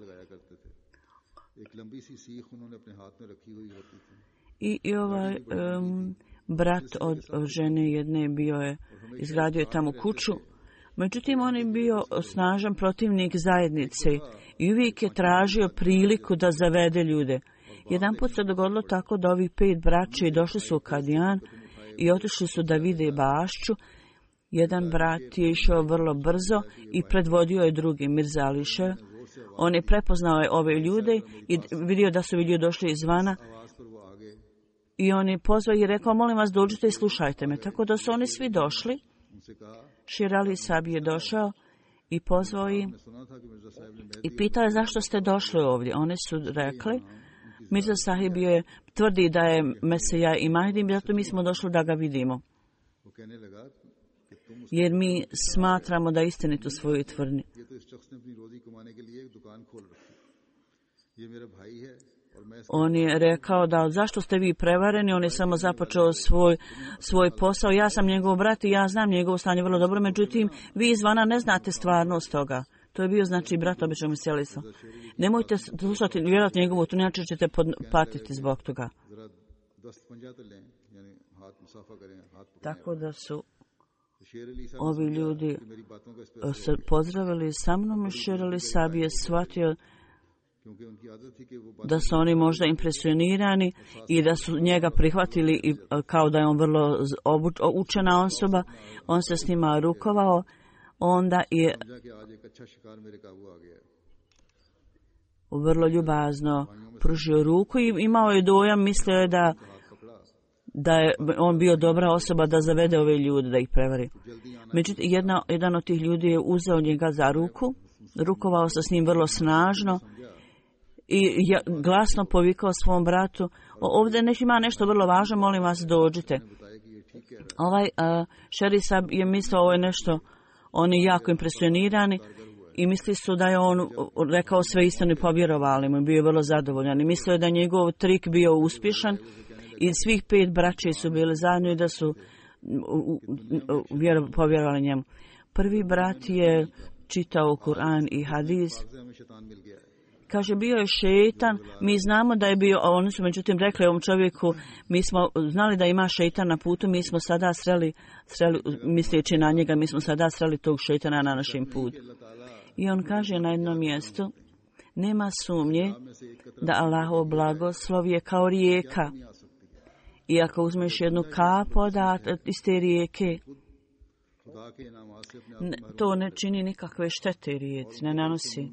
I ovaj brat od žene jedne izgradio je tamo kuću. Međutim, on je bio snažan protivnik zajednice i uvijek je tražio priliku da zavede ljude. Jedan put se dogodilo tako da ovih 5 braća došli su u Kadijan i otišli su da vide bašću. Jedan brat je išao vrlo brzo i predvodio je drugi, Mirza Ališe. On je prepoznao ove ljude i vidio da su ljudi došli izvana. I on je pozvao i rekao, molim vas dođite i slušajte me. Tako da su oni svi došli. Šir Ali Sahib je došao i pozvao ih i pitao je zašto ste došli ovdje. Oni su rekli, Mirza Sahib tvrdi da je Mesija i Mahdi, zato mi smo došli da ga vidimo. Jer mi smatramo da istinito svoju tvrdnju. On je rekao da zašto ste vi prevareni, on je samo započeo svoj posao, ja sam njegov brat i ja znam njegovo stanje vrlo dobro, međutim vi izvana ne znate stvarnost toga. To je bio znači brat Obećanog Mesija alejhi selam. Nemojte slušati vjerojatno njegovu, to inače ćete patiti zbog toga. Tako da su ovi ljudi se pozdravili sa mnom i Šer Ali Sahib je shvatio da su oni možda impresionirani i da su njega prihvatili i kao da je on vrlo učena osoba. On se s njima rukovao, onda je vrlo ljubazno pružio ruku i imao je dojam, mislio je da je on bio dobra osoba da zavede ove ljude, da ih prevari. Međutim, jedan od tih ljudi je uzeo njega za ruku, rukovao se s njim vrlo snažno i glasno povikao svom bratu: ovdje ima nešto vrlo važno, molim vas dođite. Šer Sahib je mislio ovo je nešto, oni jako impresionirani i misli su da je on rekao sve istinu i povjerovali mu, bio je vrlo zadovoljan i mislio je da njegov trik bio uspješan i svih 5 braće su bili zajedno i da su povjerovali njemu. Prvi brat je čitao Kur'an i hadis. Kaže, bio je šeitan, mi znamo da je bio, oni su međutim rekli ovom čovjeku, mi smo znali da ima šeitan na putu, mi smo sada sreli misleći na njega, mi smo sada sreli tog šeitana na našem putu. I on kaže na jednom mjestu: nema sumnje da Allahov blagoslov je kao rijeka. I ako uzmeš jednu kap iz te rijeke, to ne čini nikakve štete rijeci, ne nanosi.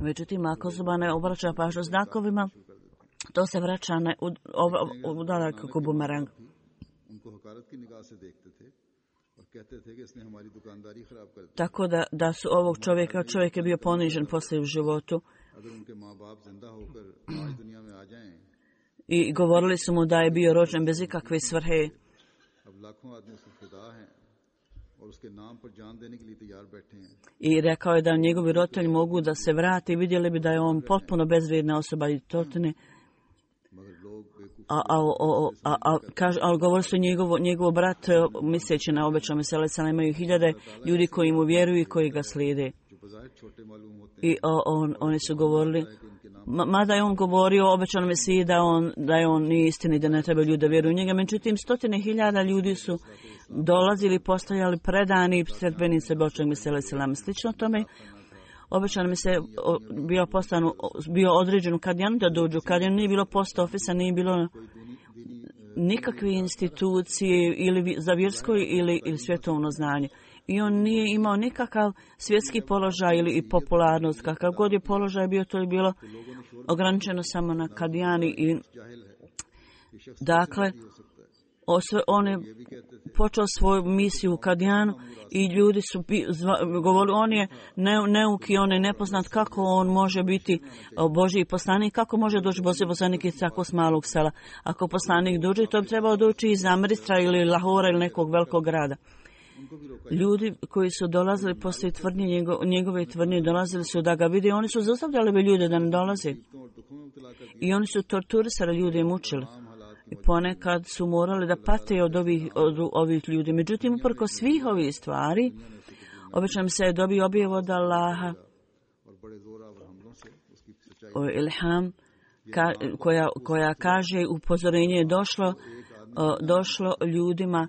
Međutim, ako zuba ne obraća pažnju znakovima, to se vraća kao bumerang. Tako da su ovog čovjek je bio ponižen poslije u životu. I govorili su mu da je bio rođen bez ikakve svrhe. I rekao je da njegovi roditelji mogu da se vrate i vidjeli bi da je on potpuno bezvrijedna osoba i totine. Ali govorili su njegov brat, misleći na obećao Mesele, imaju 1000 ljudi koji mu vjeruju i koji ga slijede. I oni su govorili, mada je on govorio o obećanom Mesiji da je on nije istini, da ne treba ljudi da vjeruju u njega. Međutim, 100.000 ljudi su dolazili, postajali predani sredbenice Božjeg Mesele. Slično tome, obećano mi se bio određen u Kadijanu da dođu. Kadijanu nije bilo post ofisa, nije bilo nikakve institucije ili za vjersko ili svjetovno znanje. I on nije imao nikakav svjetski položaj ili popularnost. Kakav god je položaj bio, to je bilo ograničeno samo na Kadijani. I dakle, on je počeo svoju misiju u Kadijanu i ljudi su govorili, on je neuki, on je nepoznat, kako on može biti Božji poslanik, kako može doći Božji poslanik iz tako malog sela. Ako poslanik dođe, to bi trebao doći iz Amristra ili Lahora ili nekog velikog grada. Ljudi koji su dolazili poslije tvrdnje, njegove tvrdnje, dolazili su da ga vide, oni su zaustavljali ljude da ne dolaze. I oni su torturisali ljude i mučili. I ponekad su morali da pate od ovih ljudi. Međutim, uprko svih ovih stvari, obično se je dobio objavu od Allaha, ilham, koja kaže upozorenje je došlo ljudima.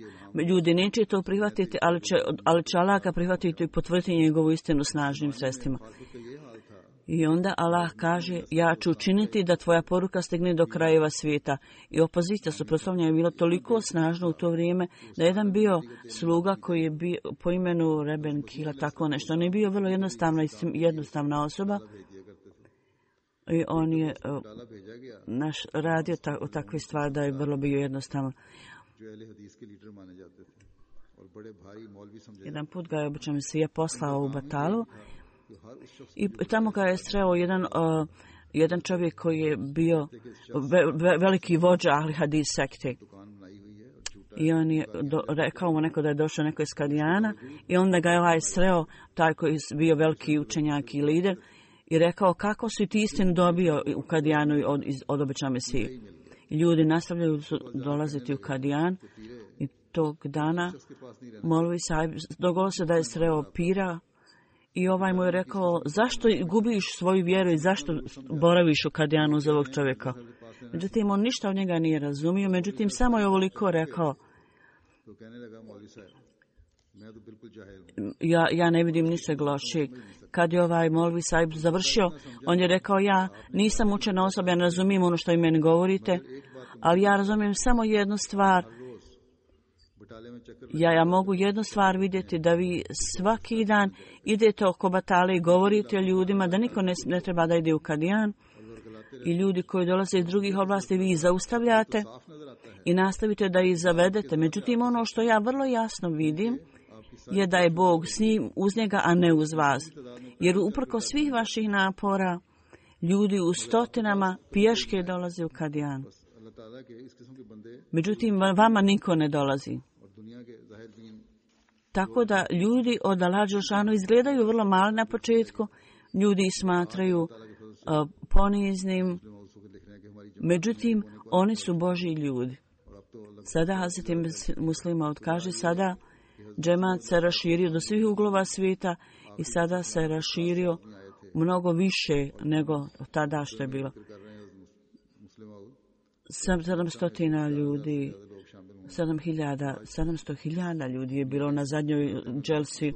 Ljudi neće to prihvatiti, ali će Allah ga prihvatiti i potvrditi njegovu istinu snažnim sredstvima. I onda Allah kaže, ja ću učiniti da tvoja poruka stigne do krajeva svijeta. I opozicija suprotstavljanja je bila toliko snažna u to vrijeme da jedan bio sluga koji je bio po imenu Reben Kila, tako nešto. On je bio vrlo jednostavna osoba i on je radio takve stvari da je vrlo bio jednostavan. Jedan put ga je običan Mesija poslao u Batalu i tamo ga je sreo jedan čovjek koji je bio veliki vođa Ahli Hadis sekte. I on je rekao mu neko da je došao neko iz Kadijana i onda ga je sreo taj koji je bio veliki učenjak i lider i rekao, kako si ti istinu dobio u Kadijanu od obećanog Mesije. Ljudi nastavljaju dolaziti u Kadijan i tog dana Molvi Sahib dogodilo se da je sreo pira i ovaj mu je rekao, zašto gubiš svoju vjeru i zašto boraviš u Kadijanu uz ovog čovjeka. Međutim, on ništa od njega nije razumio, međutim, samo je ovoliko rekao, Ja ne vidim ničeg lošeg. Kad je ovaj Molvi Sahib završio, on je rekao, ja nisam učena osoba, ja ne razumijem ono što vi meni govorite, ali ja razumijem samo jednu stvar. Ja mogu jednu stvar vidjeti, da vi svaki dan idete oko batale i govorite o ljudima, da niko ne treba da ide u Kadijan, i ljudi koji dolaze iz drugih oblasti vi ih zaustavljate i nastavite da ih zavedete. Međutim, ono što ja vrlo jasno vidim je da je Bog s njim, uz njega, a ne uz vas. Jer uprko svih vaših napora, ljudi u stotinama pješke dolaze u Kadijan. Međutim, vama niko ne dolazi. Tako da ljudi od Allah Đelešanu izgledaju vrlo mali na početku, ljudi ih smatraju poniznim, međutim, oni su Božji ljudi. Sada Hazreti Muslima kaže, sada džemat se raširio do svih uglova svijeta i sada se raširio mnogo više nego tada što je bilo. 700 ljudi, 700.000 ljudi je bilo na zadnjoj dželsi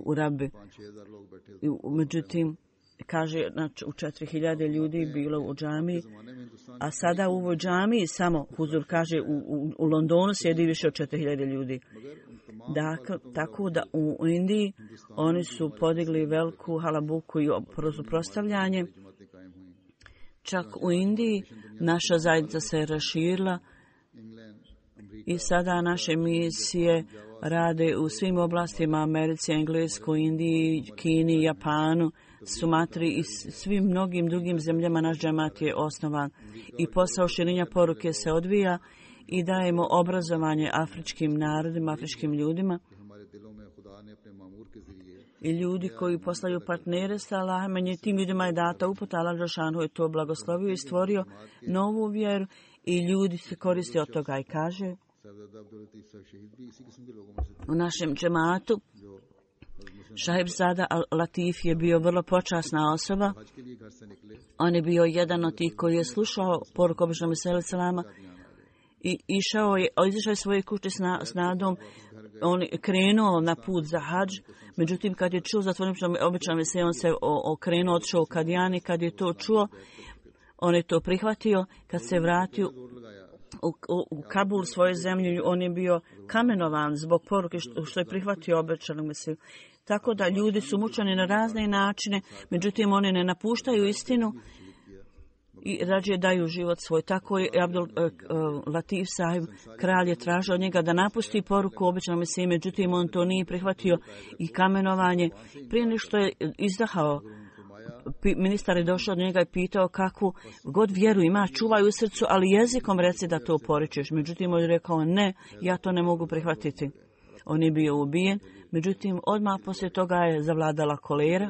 u Rabi. Međutim, kaže, u 4.000 ljudi bilo u džamiji, a sada u ovoj džamiji samo, Huzur kaže, u Londonu sjedi više od 4.000 ljudi. Tako da u Indiji oni su podigli veliku halabuku i suprotstavljanje. Čak u Indiji naša zajednica se raširila i sada naše misije rade u svim oblastima, Americi, Engleskoj, Indiji, Kini, Japanu, Sumatri i svim mnogim drugim zemljama. Naš džemat je osnovan i posao širenja poruke se odvija i dajemo obrazovanje afričkim narodima, afričkim ljudima. I ljudi koji poslaju partnere sa Allahom, tim ljudima je data uputa, Allah Đelešanu je to blagoslovio i stvorio novu vjeru i ljudi se koriste od toga i kaže u našem džematu Šahib Zada Latif je bio vrlo počasna osoba. On je bio jedan od tih koji je slušao poruku običnog Mesija selama i izašao je svoje kuće s nadom. On je krenuo na put za hadž, međutim kad je čuo za običnog Mesija, on se okrenuo, otišao u Kadijani. Kad je to čuo, on je to prihvatio. Kad se vratio u Kabul, svoju zemlju, on je bio kamenovan zbog poruke što je prihvatio obećanog Mesiju. Tako da ljudi su mučeni na razne načine, međutim oni ne napuštaju istinu i rađe daju život svoj. Tako je Abdul Latif Sahib, kralj, je tražio od njega da napusti poruku obećanog Mesije, međutim on to nije prihvatio i kamenovanje. Prije nego što je izdahao, ministar je došao od njega i pitao kakvu god vjeru ima, čuvaj u srcu, ali jezikom reci da to poričeš. Međutim, on je rekao, ne, ja to ne mogu prihvatiti. On je bio ubijen, međutim, odmah poslije toga je zavladala kolera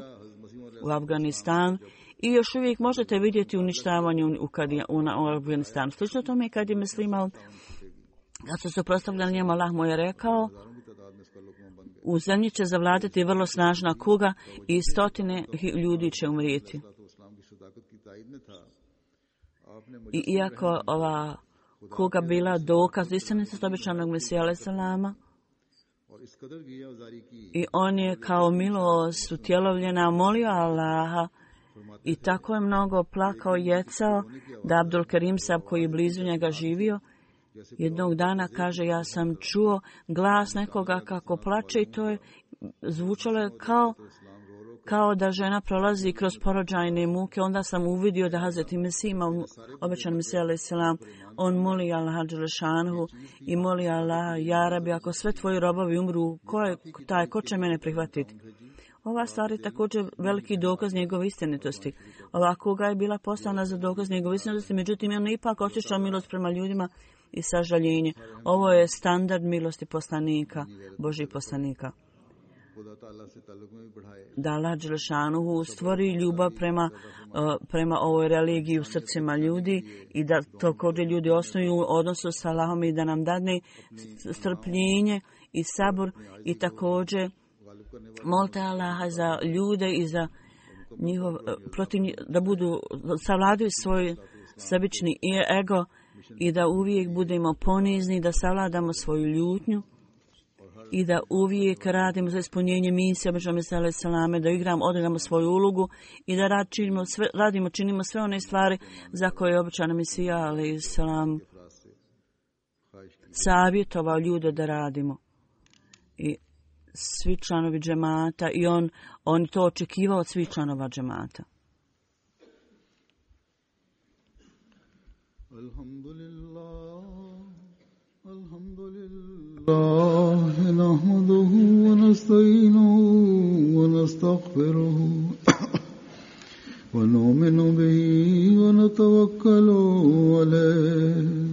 u Afganistanu i još uvijek možete vidjeti uništavanje u Afganistanu. Slično tome kad je Muslima, kad su se prostavljali njemu, Allah mu je rekao, u zemlji će zavladati vrlo snažna kuga i stotine ljudi će umrijeti. I iako ova kuga bila dokaz istinitosti obećanog Mesija alejhi selama, i on je kao milost utjelovljena molio Allaha i tako je mnogo plakao i jecao da Abdul Karim Sahib, koji je blizu njega živio, jednog dana kaže, ja sam čuo glas nekoga kako plače i to je zvučalo kao da žena prolazi kroz porođajne muke. Onda sam uvidio da Hazreti Mesih ima obećan Mesija alejhi selam. On moli Allaha Đelešanu i moli Allaha, ja Rabi, ako sve tvoji robovi umru, ko će mene prihvatiti? Ova stvar je također veliki dokaz njegove istinitosti. Ova kuga je bila poslana za dokaz njegove istinitosti, međutim on ipak osjećao milost prema ljudima i sažaljenje. Ovo je standard milosti poslanika, Božih poslanika. Da Allah Đelešanu stvori ljubav prema ovoj religiji u srcima ljudi i da također ljudi osnuju odnosu sa Allahom i da nam dadne strpljenje i sabor i također molite Allaha za ljude i za njihov da savladaju svoj sebični ego i da uvijek budemo ponizni, da savladamo svoju ljutnju i da uvijek radimo za ispunjenje misije Obećanog Salame, da odigramo svoju ulogu i da činimo sve one stvari za koje je obećana Mesija alejhi selam savjetovao ljude da radimo. I svi članovi džemata i on to očekivao od svih članova džemata. Alhamdulillah, nahmaduhu wa nasta'inuhu wa nastaghfiruhu wa nu'minu bihi wa natawakkalu alayhi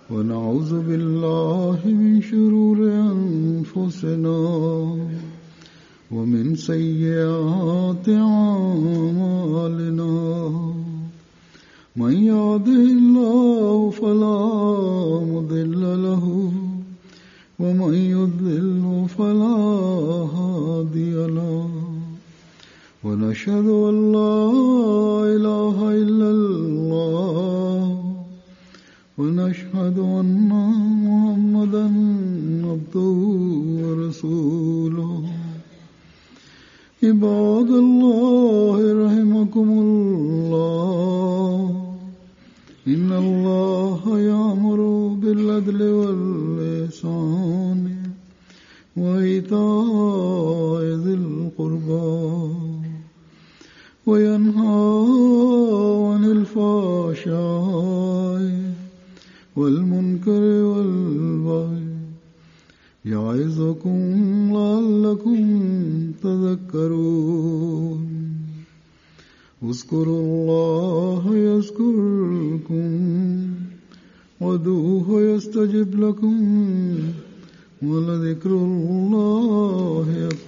ونعوذ بالله من شرور أنفسنا ومن سيئات أعمالنا من يهده الله فلا مضل له ومن يضلل فلا هادي له ونشهد أن لا إله إلا الله ونشهد أن محمدا عبده ورسوله عباد الله رحمكم الله إن الله يأمر بالعدل والإحسان وإيتاء ذي القربى وينهى عن الفحشاء والمنكر والبغي يعظكم لعلكم تذكرون اذكروا الله يذكركم وادعوه يستجب لكم ولذكر الله أكبر.